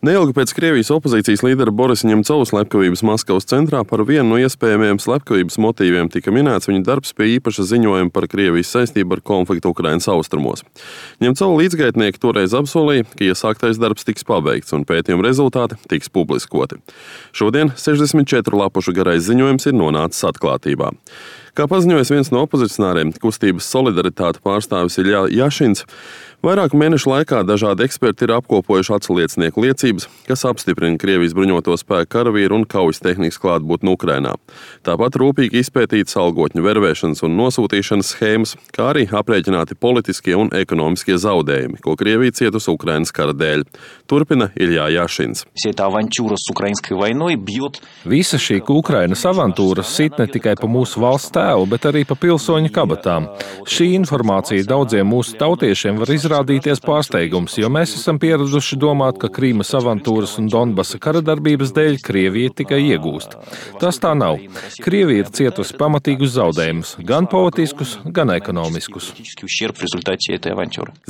Neilgi pēc Krievijas opozīcijas līdera Borisa Ņemcova slepkavības Maskavas centrā par vienu no iespējamiem slepkavības motīviem tika minēts viņa darbs pie īpaša ziņojuma par Krievijas saistību ar konfliktu Ukrainas austrumos. Ņemcova līdzgaitnieki toreiz apsolīja, ka iesāktais darbs tiks pabeigts un pētījuma rezultāti tiks publiskoti. Šodien 64 lapušu garais ziņojums ir nonācis atklātībā. Kā paziņojas viens no opozicionāriem, kustības Solidaritāte pārstāvis Iļja Jašins, vairāku mēnešu laikā dažādi eksperti ir apkopojuši atsliecinieku liecības, kas apstiprina Krievijas bruņoto spēku karavīru un kaujas tehnikas klātbūtni Ukrainā. Tāpat rūpīgi izpētītas algotņu vervēšanas un nosūtīšanas schēmas, kā arī aprēķināti politiskie un ekonomiskie zaudējumi, ko Krievija cietusi Ukrainas kara dēļ. Turpina Iļja Jašins. Visa šī Ukrainas avantūra sit ne tikai pa mūsu valsts tēlu, bet arī pa pilsoņu kabatām. Šī informācija daudziem mūsu tautiešiem var izrādīties pārsteigums, jo mēs esam pieraduši domāt, ka Krīmas avantūras un Donbasa karadarbības dēļ Krievija tikai iegūst. Tas tā nav. Krievija ir cietusi pamatīgus zaudējumus, gan politiskus, gan ekonomiskus.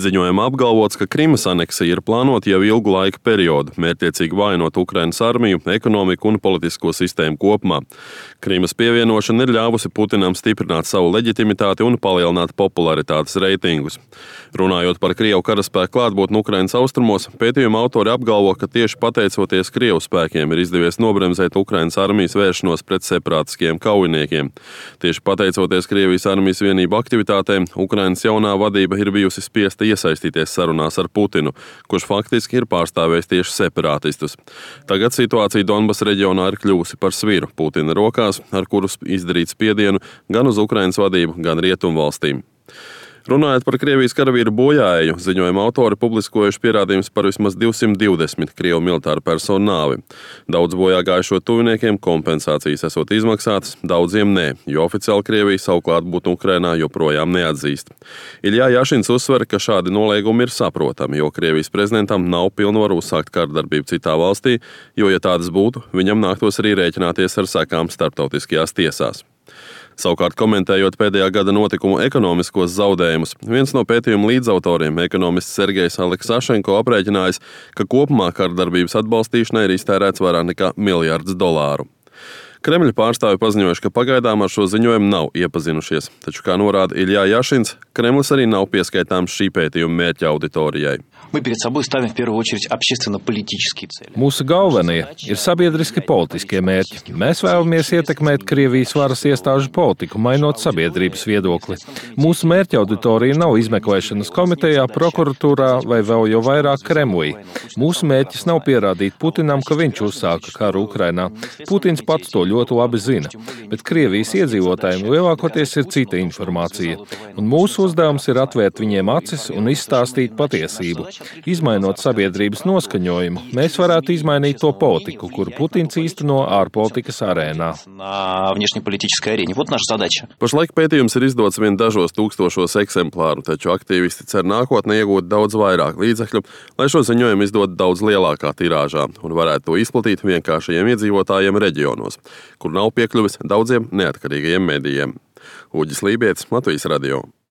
Ziņojumā apgalvots, ka Krimas aneksija ir plānota jau ilgu laika periodu, mērķtiecīgi vājinot Ukrainas armiju, ekonomiku un politisko sistēmu kopumā. Krimas pievienošana ir ļāvusi Putinam stiprināt savu leģitimitāti un palielināt popularitātes reitingus. Runājot par Krievu karaspēku klātbūtni Ukrainas austrumos, pētījuma autori apgalvo, ka tieši pateicoties Krievu spēkiem ir izdevies nobremzēt Ukrainas armijas vēršanos pret separātiskiem kaujiniekiem. Tieši pateicoties Krievijas armijas vienību aktivitātēm, Ukrainas jaunā vadība ir bijusi spiesta iesaistīties sarunās ar Putinu, kurš faktiski ir pārstāvējis tieši separātistus. Tagad situācija Donbasa reģionā ir kļuvusi par sviru Putina rokās, ar kurus izdarīt spiedienu gan uz Ukrainas vadību, gan rietumvalstīm. Runājot par Krievijas karavīru bojāēju, ziņojuma autori publiskojuši pierādījumus par vismaz 220 Krievu militāru personu nāvi. Daudz bojā gājušo tuviniekiem kompensācijas esot izmaksātas, daudziem nē, jo oficiāli Krievija savu klātbūtni Ukrainā joprojām neatzīst. Iļja Jašins uzsver, ka šādi noliegumi ir saprotami, jo Krievijas prezidentam nav pilnvaru uzsākt karadarbību citā valstī, jo, ja tādas būtu, viņam nāktos arī rēķināties ar sekām starptautiskajās tiesās. Savukārt, komentējot pēdējā gada notikumu ekonomiskos zaudējumus, viens no pētījuma līdzautoriem, ekonomists Sergejs Aleksašenko, aprēķinājis, ka kopumā karadarbības atbalstīšanai ir iztērēts vairāk nekā $1 miljards. Kremļa pārstāvi paziņojuši, ka pagaidām ar šo ziņojumu nav iepazinušies, taču, kā norāda Iļja Jašins, Kremlis arī nav pieskaitāms šī pētījuma mērķa auditorijai. Mūsu galvenie ir sabiedriski politiskie mērķi. Mēs vēlamies ietekmēt Krievijas varas iestāžu politiku, mainot sabiedrības viedokli. Mūsu mērķa auditorija nav izmeklēšanas komitejā, prokuratūrā vai vēl jau vairāk Kremlī. Mūsu mērķis nav pierādīt Putinam, ka viņš uzsāka karu Ukrainā. Putins pats to ļoti labi zina, bet Krievijas iedzīvotājiem lielākoties ir cita informācija. Un mūsu uzdevums ir atvērt viņiem acis un izstāstīt patiesību. Izmainot sabiedrības noskaņojumu, mēs varētu izmainīt to politiku, kuru Putins īsteno ārpolitikas arēnā. Pašlaik pētījums ir izdots vien dažos tūkstošos eksemplāru, taču aktīvisti cer nākotnē iegūt daudz vairāk līdzekļu, lai šo ziņojumu izdot daudz lielākā tirāžā un varētu to izplatīt vienkāršajiem iedzīvotājiem reģionos, kur nav piekļuvis daudziem neatkarīgajiem medijiem. Uģis Lībietis, Latvijas radio.